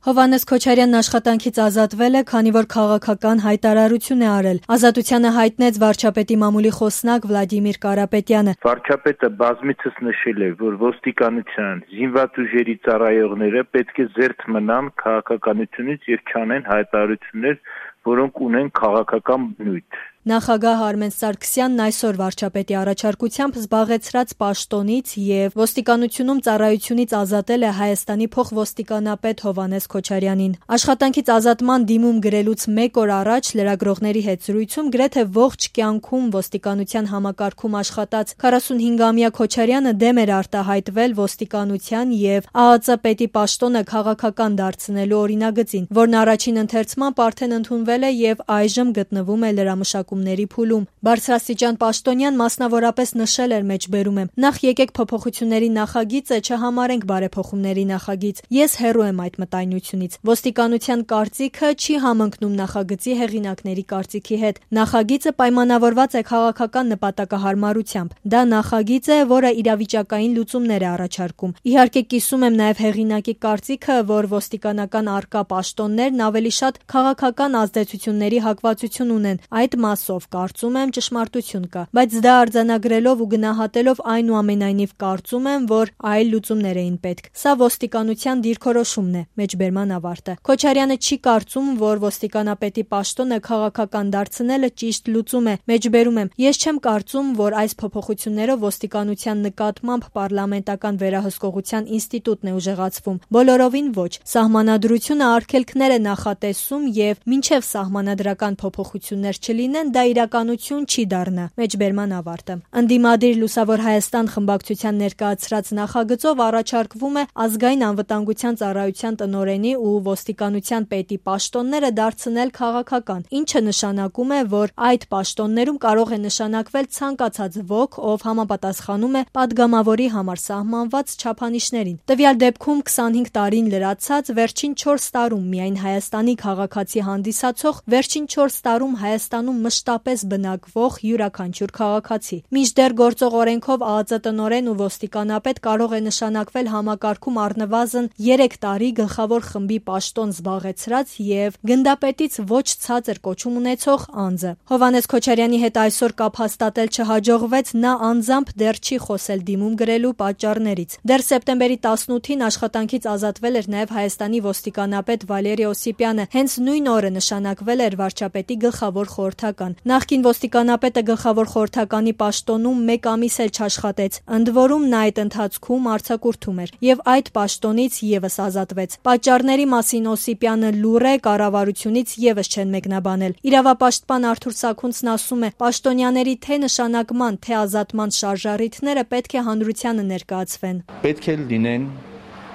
Հովհաննես Քոչարյանն աշխատանքից ազատվել է, քանի որ քաղաքական հայտարարություն է արել։ Ազատությանը հայտնեց վարչապետի մամուլի խոսնակ Վլադիմիր Կարապետյանը։ Վարչապետը բազմիցս նշել է, որ ոստիկանության զինված ուժերի ծառայողները պետք է զերծ մնան քաղաքականությունից եւ չանեն հայտարարություններ, որոնք ունեն քաղաքական բնույթ։ Նախագահ Արմեն Սարգսյանն այսօր վարչապետի առաջարկությամբ զբաղեցրած պաշտոնից եւ ոստիկանությունում ծառայությունից ազատել է Հայաստանի փոխոստիկանապետ Հովհաննես Քոչարյանին։ Աշխատանքից ազատման դիմում գրելուց մեկ օր առաջ լրագրողների հետ զրույցում գրեթե ողջ կյանքում ոստիկանության համակարգում աշխատած 45-ամյա Քոչարյանը դեմ էր արտահայտվել ոստիկանության եւ ԱԱԾ պետի պաշտոնը քաղաքական դարձնելու օրինագծին, որն առաջին ընթերցմամբ արդեն ընդունվել է եւ այժմ գտնվում է լրամշակումների փուլում։ Բարձրաստիճան պաշտոնյան մասնավորապես նշել էր մեջբերում եմ. նախ եկեք փոփոխությունների նախագիծը չհամարենք բարեփոխումների նախագիծ։ Ես հեռու եմ այդ մտայնությունից։ Ոստիկանության կարծիքը չի համընկնում նախագծի հեղինակների կարծիքի հետ։ Նախագիծը պայմանավորված է քաղաքական նպատակահարմարությամբ։ Դա նախագիծ է, որը իրավիճակային լուծումներ է առաջարկում։ Իհարկե կիսում եմ նաև հեղինակի կարծիքը, որ ոստիկանական արկա պաշտոններն ավելի շատ քաղաքական ազդեցությունների հակվածություն ունեն։ Այդ մասով կարծում եմ ճշմարտություն կա, բայց դա արձանագրելով ու գնահատելով այնուամենայնիվ կարծում եմ, որ այլ լուծումներ էին պետք։ Սա ոստիկանության դիրքորոշումն է։ Մեջբերման ավարտը։ Քոչարյանը չի կարծում, որ ոստիկանապետի պաշտոնը քաղաքական դարձնելը ճիշտ լուծում է։ Մեջբերում եմ. ես չեմ կարծում, որ այս փոփոխություններով ոստիկանության նկատմամբ պարլամենտական վերահսկողության ինստիտուտն է ուժեղացվում։ Բոլորովին ոչ։ Սահմանադրությունը արգելքներ է նախատեսում եւ մինչեւ սահմանադրական փոփոխություններ չլինեն, դա իրականություն չի դառնա։ Մեջբերման ավարտը։ Ընդդիմադիր Լուսավոր Հայաստան խմբակցության ներկայացրած նախագծով առաջարկվում է ազգային անվտանգության ծառայության տնօրենի ու ոստիկանության պետի պաշտոնները դարձնել քաղաքական, ինչը նշանակում է, որ այդ պաշտոններում կարող է նշանակվել ցանկացած ոք, ով համապատասխանում է падգամավորի համար սահմանված չափանիշներին։ Տվյալ դեպքում 25 տարին լրացած վերջին 4 տարում միայն Հայաստանի քաղաքացի հանդիսացող վերջին 4 տարում Հայաստանում մշտապես բնակվող յուրաքանչյուր քաղաքացի։ Մինչդեռ գործող օրենքով ԱԱԾ տնօրեն ու ոստիկանապետ կարող է նշանակվել համակարգում առնվազն 3 տարի գլխավոր խմբի պաշտոն զբաղեցրած եւ գնդապետից ոչ ցածր կոչում ունեցող անձը։ Հովհաննես Քոչարյանի հետ այսօր կապ հաստատել չհաջողվեց, նա անձամբ դեռ չի խոսել դիմում գրելու պատճառներից։ Դեռ սեպտեմբերի 18-ին աշխատանքից ազատվել էր նաեւ Հայաստանի ոստիկանապետ Վալերի Օսիպյանը։ Հենց նույն օրը նշանակվել էր վարչապետի գլխավոր խորհրդական։ Նախկին ոստիկանապետը գլխավոր խորհրդականի պաշտոնում 1 ամիս էլ չաշխատեց։ Ընդ որում նա այդ ընթացքում արձակուրդում էր եւ այդ պաշտոնից եւս ազատվեց։ Պատճառների մասին Օսիպյանը լուռ է, կառավարությունից եւս չեն մեկնաբանել։ Իրավապաշտպան Արթուր Սաքունցն ասում է. պաշտոնյաների թե նշանակման, թե ազատման շարժառիթները պետք է հանրությանը ներկայացվեն։ Պետք է լինեն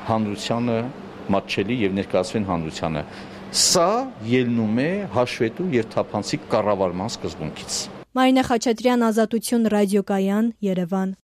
հանրությանը մատչելի եւ ներկայացվեն հանրությանը։ Սա ելնում է հաշվետու եւ թափանցիկ կառավարման սկզբունքից։ Մարինե Խաչատրյան, Ազատություն ռադիոկայան, Երևան։